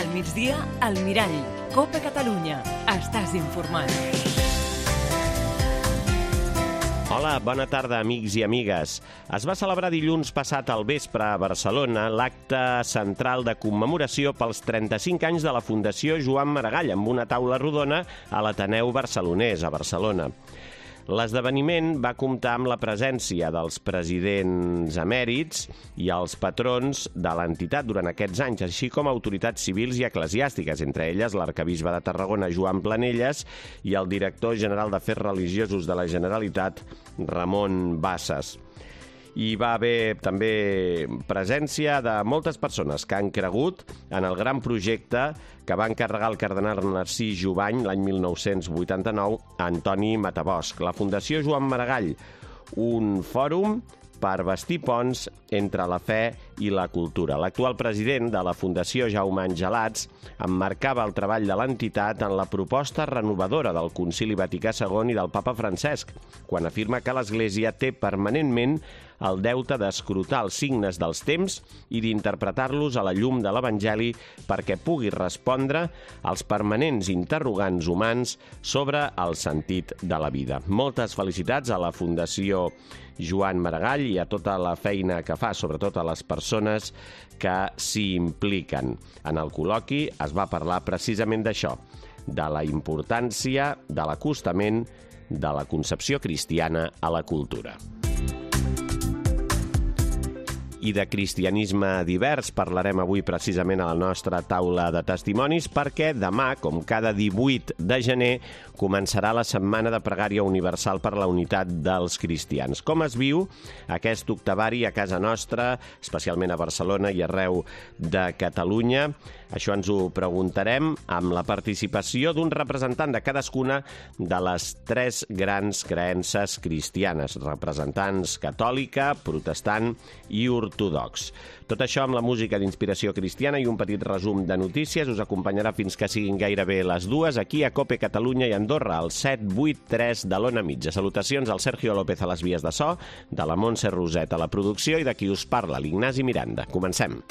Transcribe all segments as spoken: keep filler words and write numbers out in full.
Al migdia, al Mirall. Copa Catalunya. Estàs informat. Hola, bona tarda, amics i amigues. Es va celebrar dilluns passat al vespre a Barcelona l'acte central de commemoració pels trenta-cinc anys de la Fundació Joan Maragall, amb una taula rodona a l'Ateneu Barcelonès, a Barcelona. L'esdeveniment va comptar amb la presència dels presidents emèrits i els patrons de l'entitat durant aquests anys, així com autoritats civils i eclesiàstiques, entre elles l'arcabisbe de Tarragona, Joan Planelles, i el director general d'Afers Religiosos de la Generalitat, Ramon Bassas. Hi va haver també presència de moltes persones que han cregut en el gran projecte que va encarregar el cardenal Narcís Jubany l'any mil nou-cents vuitanta-nou a Antoni Matabosch. La Fundació Joan Maragall, un fòrum per bastir ponts entre la fe i la cultura. L'actual president de la Fundació, Jaume Angelats, emmarcava el treball de l'entitat en la proposta renovadora del Concili Vaticà segon i del papa Francesc, quan afirma que l'Església té permanentment el deute d'escrutar els signes dels temps i d'interpretar-los a la llum de l'Evangeli perquè pugui respondre als permanents interrogants humans sobre el sentit de la vida. Moltes felicitats a la Fundació Joan Maragall i a tota la feina que fa, sobretot a les persones que s'hi impliquen. En el col·loqui es va parlar precisament d'això, de la importància de l'acostament de la concepció cristiana a la cultura. I de cristianisme divers parlarem avui precisament a la nostra taula de testimonis perquè demà, com cada divuit de gener, començarà la Setmana de Pregària Universal per la Unitat dels Cristians. Com es viu aquest octavari a casa nostra, especialment a Barcelona i arreu de Catalunya? Això ens ho preguntarem amb la participació d'un representant de cadascuna de les tres grans creences cristianes, representants catòlica, protestant i ortodox. Tot això amb la música d'inspiració cristiana i un petit resum de notícies us acompanyarà fins que siguin gairebé les dues aquí a Cope Catalunya i Andorra, al set vuit tres de l'Ona Mitja. Salutacions al Sergio López a les vies de so, de la Montse Roset a la producció i de qui us parla, l'Ignasi Miranda. Comencem.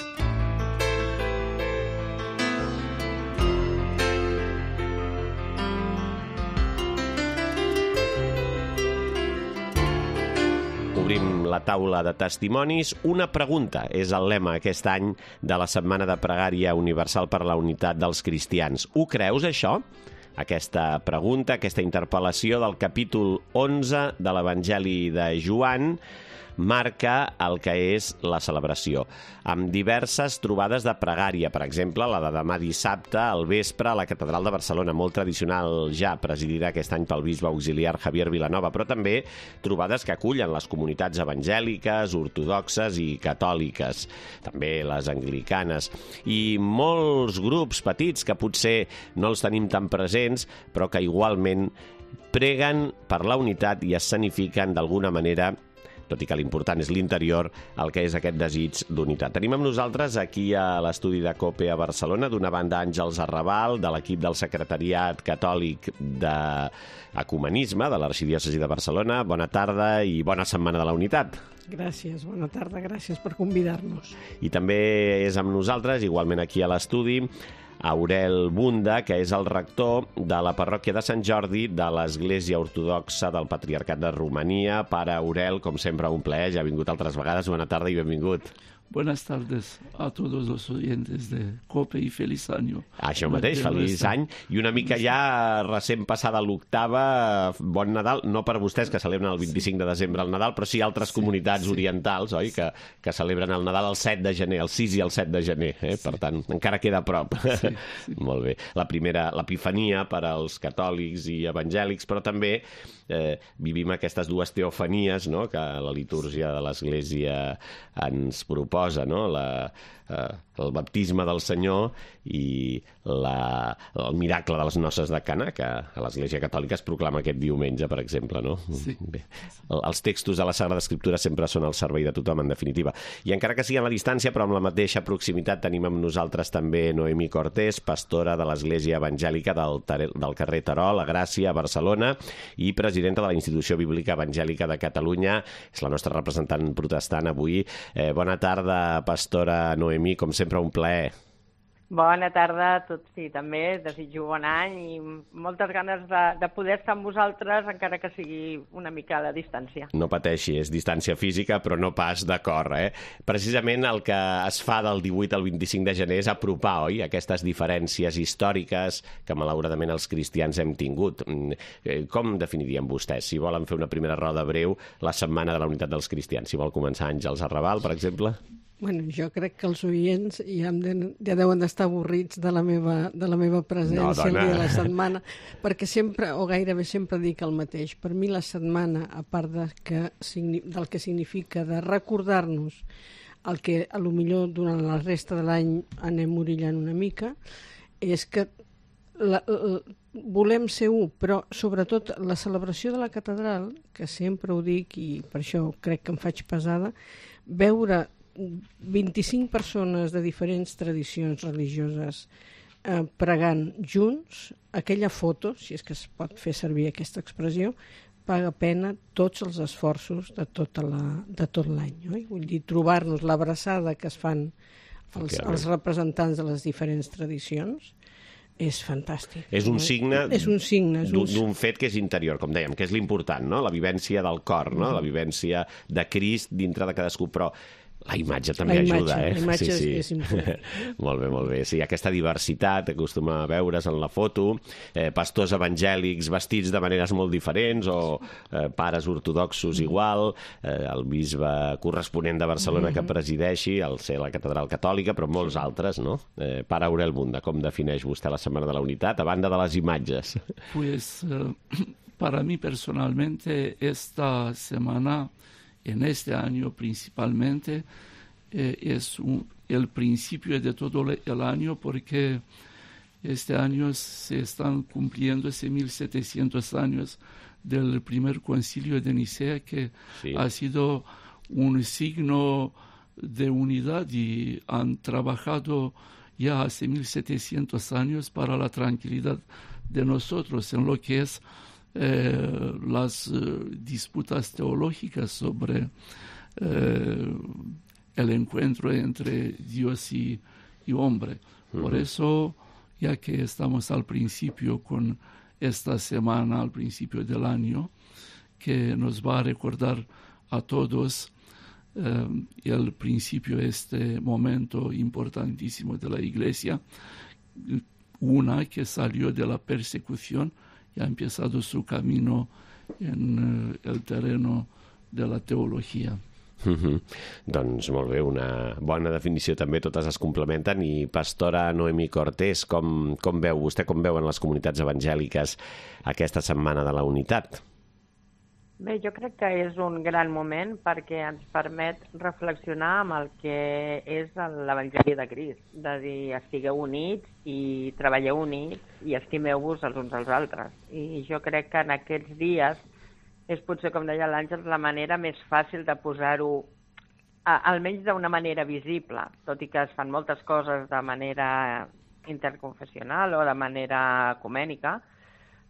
Obrim la taula de testimonis. Una pregunta és el lema aquest any de la Setmana de Pregària Universal per la Unitat dels Cristians. Ho creus, això? Aquesta pregunta, aquesta interpel·lació del capítol onze de l'Evangeli de Joan marca el que és la celebració, amb diverses trobades de pregària, per exemple, la de demà dissabte al vespre a la Catedral de Barcelona, molt tradicional ja, presidida aquest any pel bisbe auxiliar Javier Vilanova, però també trobades que acullen les comunitats evangèliques, ortodoxes i catòliques, també les anglicanes, i molts grups petits que potser no els tenim tan presents, però que igualment preguen per la unitat i escenifiquen d'alguna manera, tot i que l'important és l'interior, el que és aquest desig d'unitat. Tenim amb nosaltres aquí a l'estudi de COPE a Barcelona, d'una banda Àngels Arrabal, de l'equip del Secretariat Catòlic d'Ecumenisme de l'Arxidiòcesi de Barcelona. Bona tarda i bona Setmana de la Unitat. Gràcies, bona tarda, gràcies per convidar-nos. I també és amb nosaltres, igualment aquí a l'estudi, Aurel Bunda, que és el rector de la parròquia de Sant Jordi de l'Església Ortodoxa del Patriarcat de Romania. Pare Aurel, com sempre, un plaer, ja ha vingut altres vegades. Bona tarda i benvingut. Buenas tardes a todos los oyentes de COPE i feliç any. Això mateix, feliç any. I una mica ja recent passada l'octava, bon Nadal, no per vostès que celebren el vint-i-cinc de desembre el Nadal, però sí altres sí, comunitats sí. orientals, oi, que, que celebren el Nadal el set de gener, el sis i el set de gener, eh? Sí. Per tant, encara queda a prop. Sí, sí. Molt bé. La primera, l'Epifania per als catòlics i evangèlics, però també eh, vivim aquestes dues teofanies, no?, que la litúrgia de l'Església ens proposa, no?, la, eh, el baptisme del Senyor i la, el miracle de les noces de Cana, que a l'Església Catòlica es proclama aquest diumenge, per exemple, no? Sí. Bé, els textos de la Sagrada Escriptura sempre són al servei de tothom, en definitiva. I encara que sigui a la distància, però amb la mateixa proximitat, tenim amb nosaltres també Noemí Cortés, pastora de l'Església Evangèlica del, del carrer Terol, a Gràcia, a Barcelona, i presidenta de la Institució Bíblica Evangèlica de Catalunya. És la nostra representant protestant avui. Eh, bona tarda, pastora Noemí, com sempre un plaer. Bona tarda a tots, sí, també desitjo bon any i moltes ganes de, de poder estar amb vosaltres, encara que sigui una mica a la distància. No pateixi, és distància física, però no pas de cor, eh? Precisament el que es fa del divuit al vint-i-cinc de gener és apropar, oi?, aquestes diferències històriques que malauradament els cristians hem tingut. Com definiríem vostès, si volen fer una primera roda breu, la Setmana de la Unitat dels Cristians? Si vol començar Àngels Arrabal, per exemple? Bueno, jo crec que els oients ja, de, ja deuen d'estar avorrits de la meva, de la meva presència no, el dia de la setmana, perquè sempre, o gairebé sempre dic el mateix. Per mi la setmana, a part de que, del que significa de recordar-nos el que a lo millor durant la resta de l'any anem orillant una mica, és que la, la, volem ser u, però sobretot la celebració de la catedral, que sempre ho dic i per això crec que em faig pesada, veure vint-i-cinc persones de diferents tradicions religioses eh, pregant junts, aquella foto, si és que es pot fer servir aquesta expressió, paga pena tots els esforços de, tota la, de tot l'any. Oi? Vull dir, trobar-nos l'abraçada que es fan els, els representants de les diferents tradicions és fantàstic. És un signe, és un signe és un... d'un fet que és interior, com dèiem, que és l'important, no? La vivència del cor, no? La vivència de Crist dintre de cadascú, però la imatge també la imatge, ajuda, eh? La imatge sí, sí. és, és important. Molt bé, molt bé. Sí, aquesta diversitat que acostuma a veure's en la foto, eh, pastors evangèlics vestits de maneres molt diferents o eh, pares ortodoxos igual, eh, el bisbe corresponent de Barcelona que presideixi, al ser la catedral catòlica, però molts altres, no? Eh, Pare Aurel Munda, com defineix vostè la Setmana de la Unitat, a banda de les imatges? Pues, eh, para mí personalmente, esta semana, en este año principalmente, eh, es un, el principio de todo el año, porque este año se están cumpliendo ese mil setecientos años del primer concilio de Nicea, que sí. ha sido un signo de unidad y han trabajado ya hace mil setecientos años para la tranquilidad de nosotros en lo que es Eh, las eh, disputas teológicas sobre eh, el encuentro entre Dios y, y hombre. Uh-huh. Por eso, ya que estamos al principio con esta semana, al principio del año, que nos va a recordar a todos eh, el principio, este momento importantísimo de la Iglesia, una que salió de la persecución y ha empezado su camino en uh, el terreno de la teologia. Mm-hmm. Doncs molt bé, una bona definició també, totes es complementen. I pastora Noemí Cortés, com, com veu vostè, com veuen les comunitats evangèliques aquesta Setmana de la Unitat? Bé, jo crec que és un gran moment perquè ens permet reflexionar amb el que és l'Evangeli de Crist, de dir, estigueu units i treballeu units i estimeu-vos els uns als altres. I jo crec que en aquests dies és potser, com deia l'Àngels, la manera més fàcil de posar-ho, almenys d'una manera visible, tot i que es fan moltes coses de manera interconfessional o de manera ecumènica,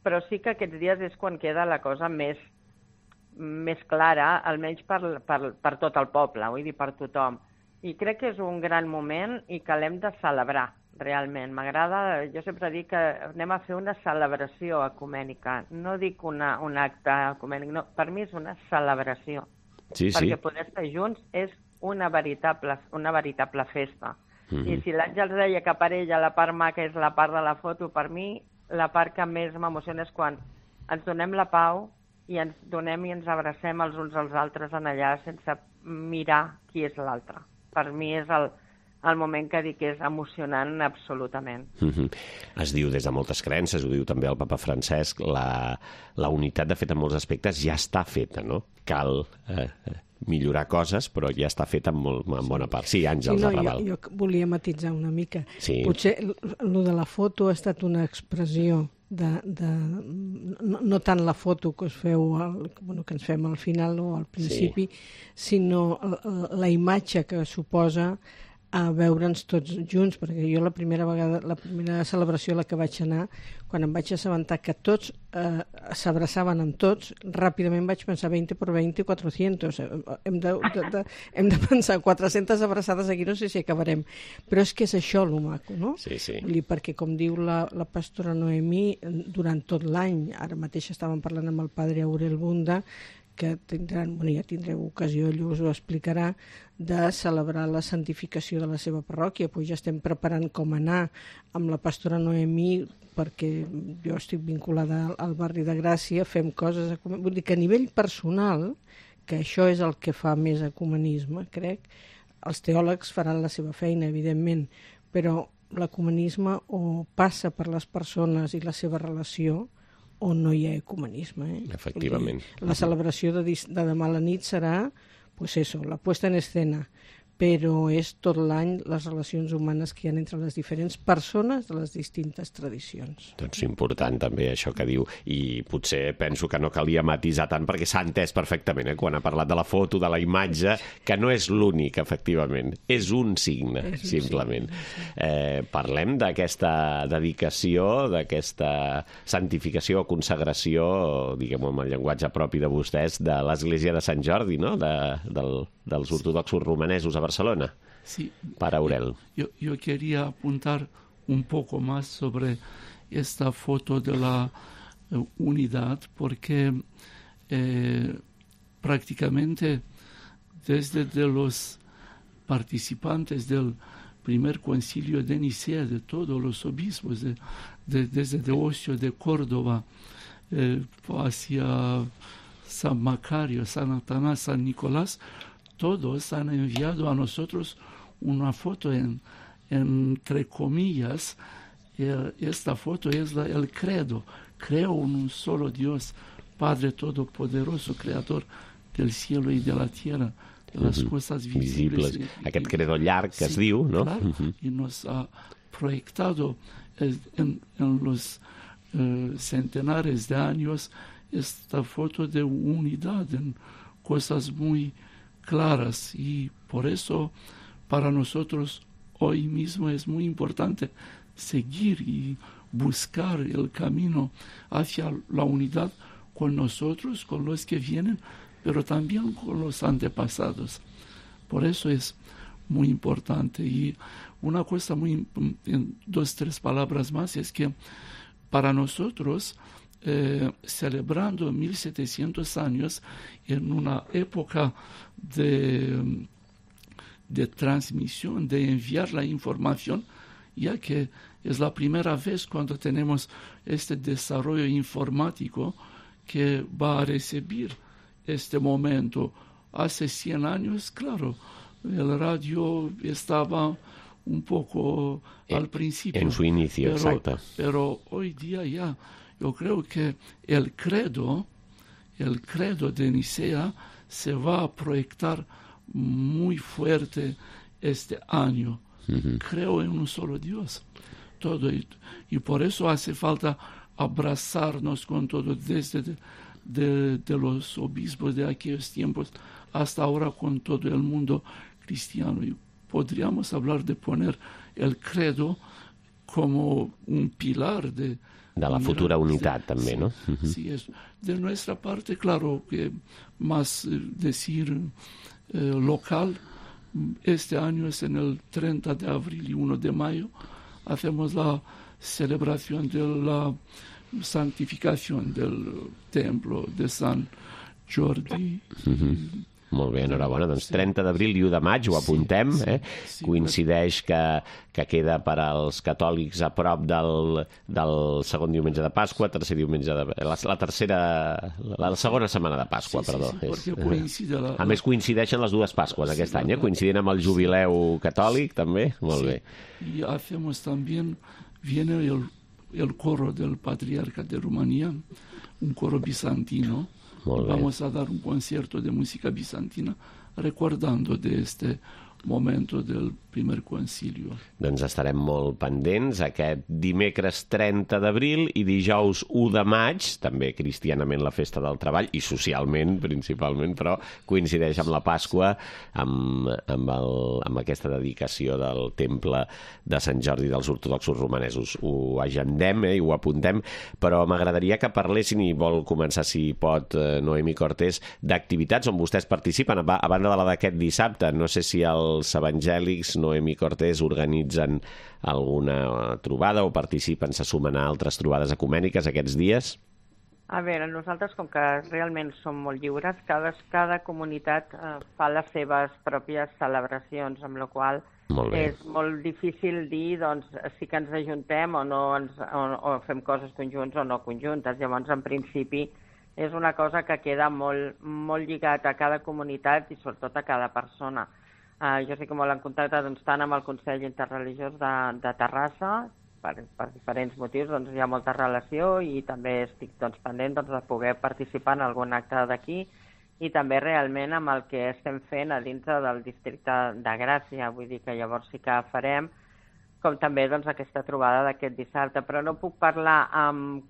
però sí que aquests dies és quan queda la cosa més més clara, almenys per, per, per tot el poble, vull dir, per tothom. I crec que és un gran moment i que l'hem de celebrar, realment. M'agrada, jo sempre dic que anem a fer una celebració ecumènica. No dic una, un acte ecumènic, no, per mi és una celebració. Sí, sí. Perquè poder estar junts és una veritable, una veritable festa. Mm-hmm. I si l'Àngels deia que per ella la part maca és la part de la foto, per mi la part que més m'emociona és quan ens donem la pau i ens donem i ens abracem els uns als altres en allà sense mirar qui és l'altre. Per mi és el, el moment que dic que és emocionant absolutament. Mm-hmm. Es diu des de moltes creences, ho diu també el papa Francesc, la, la unitat, de fet, en molts aspectes ja està feta, no? Cal eh, millorar coses, però ja està feta en, molt, en bona part. Sí, Àngels sí, no, Arrabal. Jo, jo volia matisar una mica. Sí. Potser el de la foto ha estat una expressió de, de no, no tant la foto que us feu al, bueno, que ens fem al final o al principi, sí. sinó la, la imatge que suposa a veure'ns tots junts, perquè jo la primera vegada, la primera celebració a la que vaig anar, quan em vaig assabentar que tots eh, s'abraçaven amb tots, ràpidament vaig pensar vint per vint, quatre-cents. Hem de, de, de, hem de pensar quatre-centes abraçades aquí, no sé si acabarem. Però és que és això lo maco, no? Sí, sí. Vull dir, perquè, com diu la, la pastora Noemí, durant tot l'any, ara mateix estàvem parlant amb el padre Aurel Bunda, que tindran, bueno, ja tindreu ocasió, ell us ho explicarà, de celebrar la santificació de la seva parròquia. Pues ja estem preparant com anar amb la pastora Noemí, perquè jo estic vinculada al, al barri de Gràcia, fem coses... Vull dir que a nivell personal, que això és el que fa més ecumenisme, crec, els teòlegs faran la seva feina, evidentment, però l'ecumenisme o passa per les persones i la seva relació, o no hi ha ecumenisme. Eh? Efectivament. La celebració de, de demà a la nit serà, pues eso, la puesta en escena, però és tot l'any les relacions humanes que hi ha entre les diferents persones de les distintes tradicions. Doncs important també això que diu, i potser penso que no calia matisar tant perquè s'ha entès perfectament, eh, quan ha parlat de la foto, de la imatge, que no és l'únic, efectivament, és un signe, és un simplement. Signe. Eh, parlem d'aquesta dedicació, d'aquesta santificació o consagració, diguem-ho amb el llenguatge propi de vostès, de l'Església de Sant Jordi, no? de, del, dels ortodoxos romanesos a Barcelona. Sí. Para Aurel. Yo, yo quería apuntar un poco más sobre esta foto de la uh, unidad, porque eh, prácticamente desde de los participantes del primer concilio de Nicea, de todos los obispos, de, de, desde Deosio de Córdoba eh, hacia San Macario, San Atanás, San Nicolás, todos han enviado a nosotros una foto en, entre comillas. Esta foto es la, el credo. Creo en un solo Dios, Padre Todopoderoso, Creador del cielo y de la tierra, de las uh-huh. cosas visibles. visibles. Aquest credo llarg que sí, es diu, no? Claro, uh-huh. y nos ha proyectado en, en los uh, centenares de años esta foto de unidad en cosas muy claras, y por eso para nosotros hoy mismo es muy importante seguir y buscar el camino hacia la unidad con nosotros, con los que vienen, pero también con los antepasados. Por eso es muy importante. Y una cosa muy, en dos, tres palabras más, es que para nosotros, Eh, celebrando mil setecientos años en una época de, de transmisión, de enviar la información, ya que es la primera vez cuando tenemos este desarrollo informático que va a recibir este momento. Hace cien años, claro, el radio estaba un poco eh, al principio. En su inicio, pero, exacto. Pero hoy día ya... Yo creo que el credo, el credo de Nicea se va a proyectar muy fuerte este año. Uh-huh. Creo en un solo Dios. Todo y, y por eso hace falta abrazarnos con todo, desde de, de, de los obispos de aquellos tiempos hasta ahora con todo el mundo cristiano. Y podríamos hablar de poner el credo como un pilar de de la futura unitat, també, sí, no? Uh-huh. Sí, es. De nuestra parte, claro, que más eh, decir eh, local, este año es en el treinta de abril y uno de mayo, hacemos la celebración de la santificación del templo de San Jordi. Uh-huh. Molt bé, enhorabona. Doncs trenta d'abril i u de maig, ho apuntem, eh? Coincideix que, que queda per als catòlics a prop del, del segon diumenge de Pasqua, tercer diumenge de... La, la tercera... La, la segona setmana de Pasqua, sí, perdó. Sí, sí, és, la, a més, coincideixen les dues Pasques aquest sí, any, eh? Coincidint amb el jubileu catòlic, també. Molt sí. bé. I hacemos también, viene el, el coro del patriarca de Rumanía, un coro bizantino. Vamos a dar un concierto de música bizantina recordando de este momento del primer concilio. Doncs estarem molt pendents aquest dimecres trenta d'abril i dijous u de maig, també cristianament la festa del treball i socialment principalment, però coincideix amb la Pasqua, amb, amb, el, amb aquesta dedicació del temple de Sant Jordi dels ortodoxos romanesos. Ho agendem eh, i ho apuntem, però m'agradaria que parlessin, i vol començar si pot Noemi Cortés, d'activitats on vostès participen, a banda de la d'aquest dissabte. No sé si els evangèlics, Noemi Cortés, organitzen alguna trobada o participen, se sumen a altres trobades ecumèniques aquests dies? A veure, nosaltres, com que realment som molt lliures, cada, cada comunitat eh, fa les seves pròpies celebracions, amb la qual cosa és molt difícil dir doncs, si que ens ajuntem o, no ens, o, o fem coses conjunts o no conjuntes. Llavors, en principi, és una cosa que queda molt, molt lligat a cada comunitat i sobretot a cada persona. Uh, jo sé que molt en contacte doncs, tant amb el Consell Interreligiós de, de Terrassa, per, per diferents motius doncs, hi ha molta relació i també estic doncs, pendent doncs, de poder participar en algun acte d'aquí i també realment amb el que estem fent a dintre del districte de Gràcia. Vull dir que llavors sí que farem, com també doncs, aquesta trobada d'aquest dissabte. Però no puc parlar amb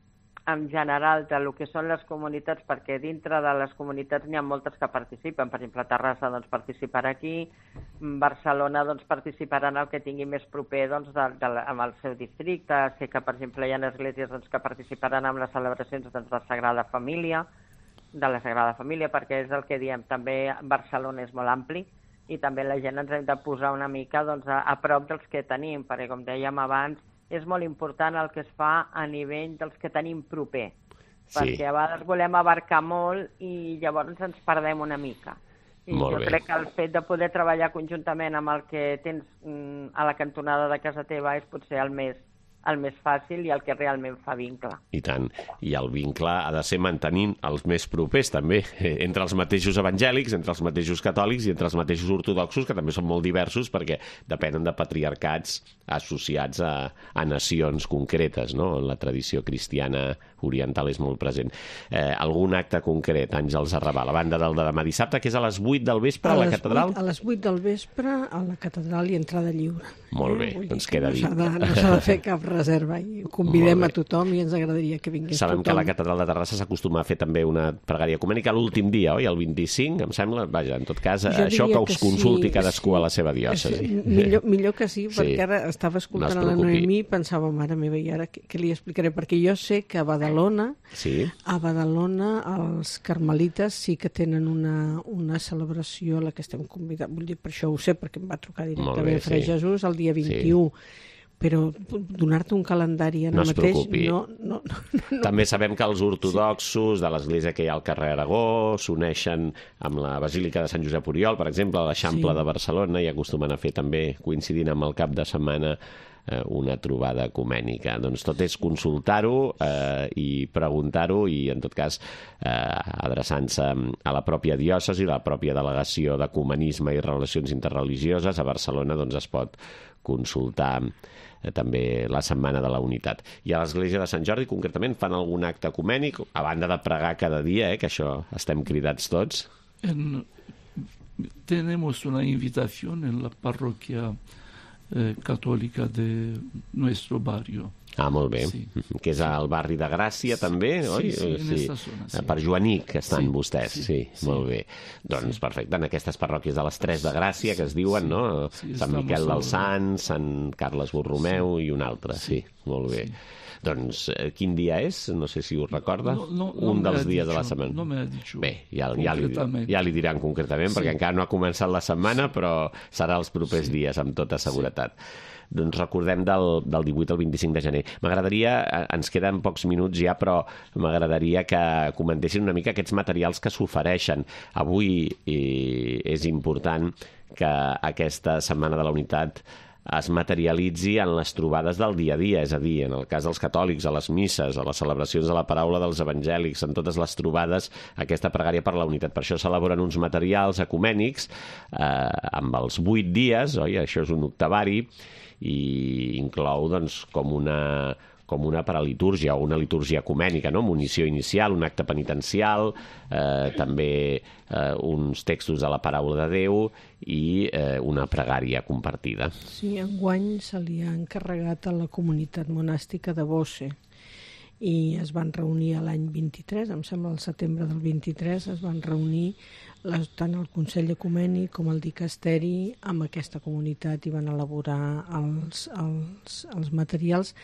en general de lo que són les comunitats, perquè dintre de les comunitats n'hi ha moltes que participen. Per exemple, Terrassa doncs, participarà aquí, Barcelona doncs, participarà en el que tingui més proper doncs, de, de, amb el seu districte. Sé que, per exemple, hi ha esglésies doncs, que participaran en les celebracions doncs, de Sagrada Família, de la Sagrada Família, perquè és el que diem, també Barcelona és molt ampli i també la gent ens hem de posar una mica doncs, a, a prop dels que tenim, perquè com dèiem abans, és molt important el que es fa a nivell dels que tenim proper, sí. Perquè a vegades volem abarcar molt i llavors ens perdem una mica. I molt jo bé. crec que el fet de poder treballar conjuntament amb el que tens mm, a la cantonada de casa teva és potser el més, el més fàcil i el que realment fa vincle. I tant. I el vincle ha de ser mantenint els més propers, també, entre els mateixos evangèlics, entre els mateixos catòlics i entre els mateixos ortodoxos, que també són molt diversos perquè depenen de patriarcats associats a, a nacions concretes, no? La tradició cristiana oriental és molt present. Eh, algun acte concret, Àngels Arrabal, a banda del de demà dissabte, que és a les vuit del vespre a, a la catedral? vuit, a les vuit del vespre a la catedral i entrada lliure. Molt bé, eh? Doncs queda no dit. S'ha de, no s'ha de fer cap reserva i convidem a tothom i ens agradaria que vingués Sabem tothom. Que a la catedral de Terrassa s'acostuma a fer també una pregària ecumènica l'últim dia, oi? El vint-i-cinc, em sembla. Vaja, en tot cas, jo això que us consulti sí, cadascú sí. a la seva diòcesi. Sí, millor, millor que sí, perquè sí. Ara estava escoltant no a la Noemí i pensava, mare meva, i ara què, què li explicaré? Perquè jo sé que a Badalona, sí. a Badalona els carmelites sí que tenen una, una celebració a la que estem convidats. Vull dir, per això ho sé, perquè em va trucar directament Fre sí. Jesús el dia vint-i-u. Sí. Però donar-te un calendari en no el mateix... Preocupi. No no, no, no. També sabem que els ortodoxos de l'església que hi ha al carrer Aragó s'uneixen amb la Basílica de Sant Josep Oriol, per exemple, a l'Eixample sí. de Barcelona, i acostumen a fer també, coincidint amb el cap de setmana, eh, una trobada ecumènica. Doncs tot és consultar-ho eh, i preguntar-ho i, en tot cas, eh, adreçant-se a la pròpia diòcesi, a la pròpia delegació d'ecumenisme i relacions interreligioses a Barcelona, doncs es pot consultar també la Setmana de la Unitat. I a l'Església de Sant Jordi, concretament, fan algun acte ecumènic, a banda de pregar cada dia, eh, que això estem cridats tots? En, tenemos una invitación en la parroquia eh, católica de nuestro barrio. Ah, molt bé. Sí. Que és al barri de Gràcia, també, sí, oi? Sí, sí, en esta zona, sí. Per Joanic estan sí, vostès, sí, sí, sí, molt bé. Doncs sí. Perfecte, en aquestes parròquies de les tres de Gràcia, que es diuen, sí, no? Sí, Sant Miquel dels Sants, Sant Carles Borromeu sí. i un altre, sí, sí molt bé. Sí. Doncs quin dia és? No sé si ho recorda. No, no, no un dels dies dicho, de la setmana. No m'ha dit. Bé, ja, ja, li, ja li diran concretament, sí. perquè encara no ha començat la setmana, però serà els propers sí. dies, amb tota seguretat. Sí. Doncs recordem del, del divuit al vint-i-cinc de gener. M'agradaria, ens queden pocs minuts ja, però m'agradaria que comentessin una mica aquests materials que s'ofereixen. Avui eh, és important que aquesta Setmana de la Unitat es materialitzi en les trobades del dia a dia, és a dir, en el cas dels catòlics, a les misses, a les celebracions de la paraula dels evangèlics, en totes les trobades, aquesta pregària per la unitat. Per això s'elaboren uns materials ecumènics eh, amb els vuit dies, oi? Això és un octavari, i inclou doncs, com una, com una paralitúrgia o una litúrgia ecumènica, no? Munició inicial, un acte penitencial, eh, també eh, uns textos de la paraula de Déu i eh, una pregària compartida. Sí, enguany se li ha encarregat a la comunitat monàstica de Bosse i es van reunir l'any vint-i-tres, em sembla el setembre del vint-i-tres, es van reunir les, tant el Consell Ecumènic com el Dicasteri amb aquesta comunitat i van elaborar els, els, els materials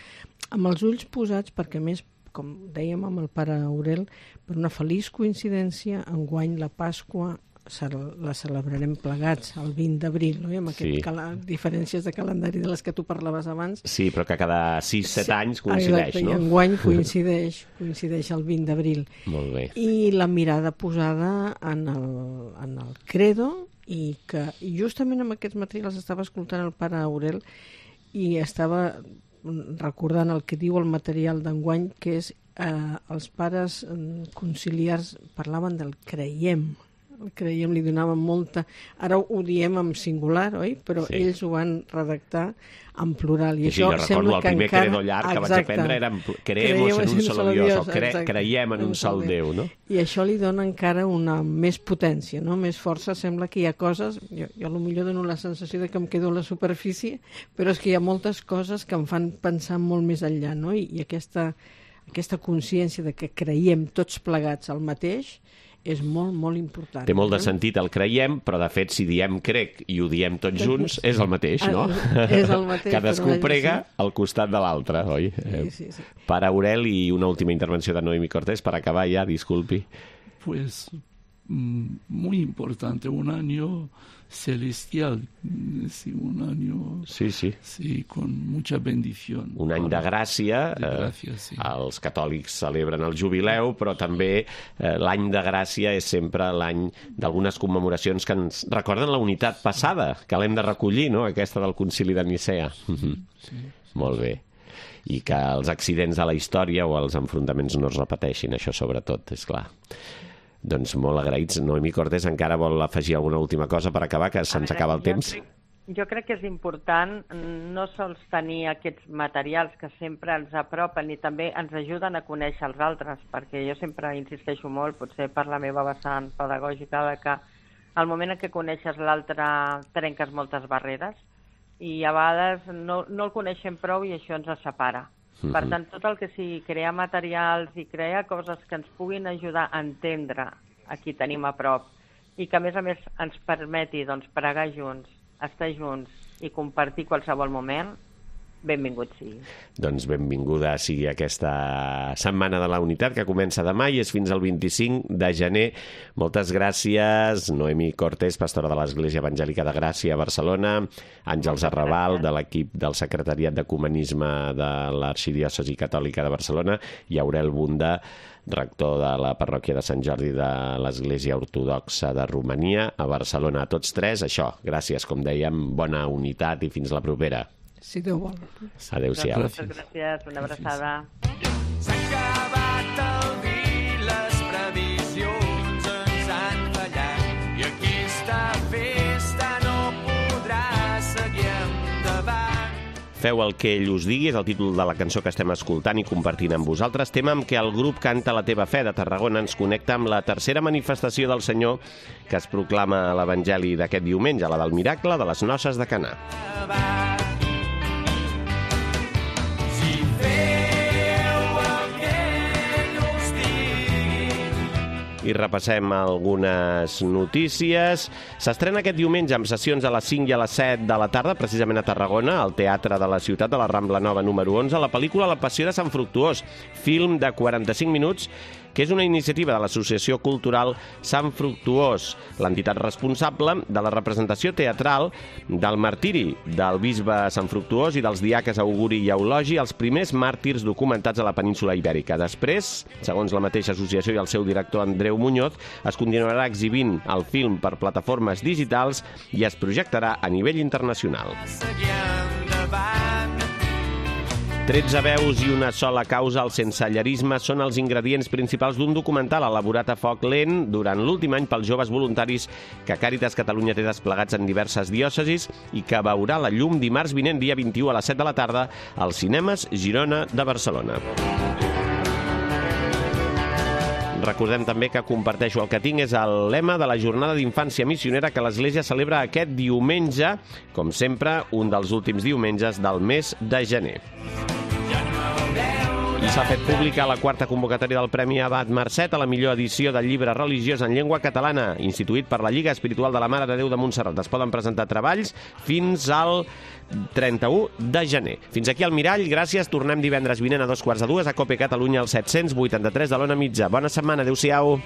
amb els ulls posats perquè, a més, com dèiem amb el pare Aurel, per una feliç coincidència, enguany la Pasqua la celebrarem plegats el vint d'abril, no? I amb aquestes sí. diferències de calendari de les que tu parlaves abans. Sí, però que cada sis set sí. anys coincideix, exacte, no? I enguany coincideix, coincideix el vint d'abril. Molt bé. I la mirada posada en el, en el credo i que i justament amb aquests materials estava escoltant el pare Aurel i estava recordant el que diu el material d'enguany, que és eh, els pares conciliars parlaven del creiem, el creiem li donaven molta... Ara ho diem en singular, oi? Però sí. ells ho van redactar en plural. I, I això sí, sembla el primer encara... credo llarg que exacte. vaig aprendre era creemos en un solo Dios, o cre creiem en un sol Déu, no? I això li dona encara una més potència, no? Més força. Sembla que hi ha coses... Jo, jo potser dono la sensació de que em quedo a la superfície, però és que hi ha moltes coses que em fan pensar molt més enllà, no? I, i aquesta, aquesta consciència de que creiem tots plegats al mateix és molt, molt important. Té molt de no? sentit el creiem, però de fet si diem crec i ho diem tots junts és el mateix, no? És el mateix. Cadascú prega sí. al costat de l'altre, oi? Sí, sí, sí. Pare Aurel, i una última intervenció de Noemi Cortés per acabar ja, disculpi. Pues muy importante, un año celestial, sí, un año sí, sí. Sí, con mucha bendición. Un any de gràcia, de gràcia sí. eh, els catòlics celebren el jubileu, però també eh, l'any de gràcia és sempre l'any d'algunes commemoracions que ens recorden la unitat passada, que l'hem de recollir, no?, aquesta del Concili de Nicea. Sí, sí. Molt bé. I que els accidents de la història o els enfrontaments no es repeteixin, això sobretot, és clar. Doncs molt agraïts. Noemi Cortés encara vol afegir alguna última cosa per acabar, que se'ns acaba el temps. Jo, jo crec que és important no sols tenir aquests materials que sempre ens apropen i també ens ajuden a conèixer els altres, perquè jo sempre insisteixo molt, potser per la meva vessant pedagògica, de que al moment en què coneixes l'altre trenques moltes barreres i a vegades no, no el coneixem prou i això ens separa. Per tant, tot el que sigui crear materials i crear coses que ens puguin ajudar a entendre a qui tenim a prop i que, a més a més, ens permeti doncs, pregar junts, estar junts i compartir qualsevol moment, benvingut sigui. Doncs benvinguda sigui aquesta Setmana de la Unitat, que comença demà i és fins al vint-i-cinc de gener. Moltes gràcies, Noemi Cortés, pastora de l'Església Evangèlica de Gràcia a Barcelona, Àngels Arrabal, de l'equip del Secretariat d'Ecumenisme de l'Arxidiòcesi Catòlica de Barcelona, i Aurel Bunda, rector de la parròquia de Sant Jordi de l'Església Ortodoxa de Romania a Barcelona. A tots tres, això, gràcies, com dèiem, bona unitat i fins la propera. Si Déu vol. Adéu-siau. Moltes gràcies, una abraçada. S'ha acabat el vi, les previsions ens han fallat i aquesta festa no podrà seguir endavant. Feu el que ell us digui, és el títol de la cançó que estem escoltant i compartint amb vosaltres. Tema amb què el grup Canta la teva fe de Tarragona ens connecta amb la tercera manifestació del Senyor que es proclama a l'Evangeli d'aquest diumenge, la del miracle de les noces de Caná. I repassem algunes notícies. S'estrena aquest diumenge amb sessions a les cinc i a les set de la tarda, precisament a Tarragona, al Teatre de la Ciutat de la Rambla Nova número onze, la pel·lícula La Passió de Sant Fructuós, film de quaranta-cinc minuts, que és una iniciativa de l'Associació Cultural Sant Fructuós, l'entitat responsable de la representació teatral del martiri del bisbe Sant Fructuós i dels diaques Auguri i Eulogi, els primers màrtirs documentats a la península Ibèrica. Després, segons la mateixa associació i el seu director Andreu Muñoz, es continuarà exhibint el film per plataformes digitals i es projectarà a nivell internacional. tretze veus i una sola causa, el sensellerisme, són els ingredients principals d'un documental elaborat a foc lent durant l'últim any pels joves voluntaris que Càritas Catalunya té desplegats en diverses diòcesis i que veurà la llum dimarts vinent, dia vint-i-u a les set de la tarda, als cinemes Girona de Barcelona. Recordem també que Comparteixo el que tinc és el lema de la Jornada d'Infància Missionera que l'Església celebra aquest diumenge, com sempre, un dels últims diumenges del mes de gener. I s'ha fet pública la quarta convocatòria del Premi Abat Marcet a la millor edició del llibre religiós en llengua catalana, instituït per la Lliga Espiritual de la Mare de Déu de Montserrat. Es poden presentar treballs fins al trenta-u de gener. Fins aquí el Mirall, gràcies. Tornem divendres vinent a dos quarts de dues a Cope Catalunya al set cents vuitanta-tres de l'Ona Mitja. Bona setmana, adéu-siau.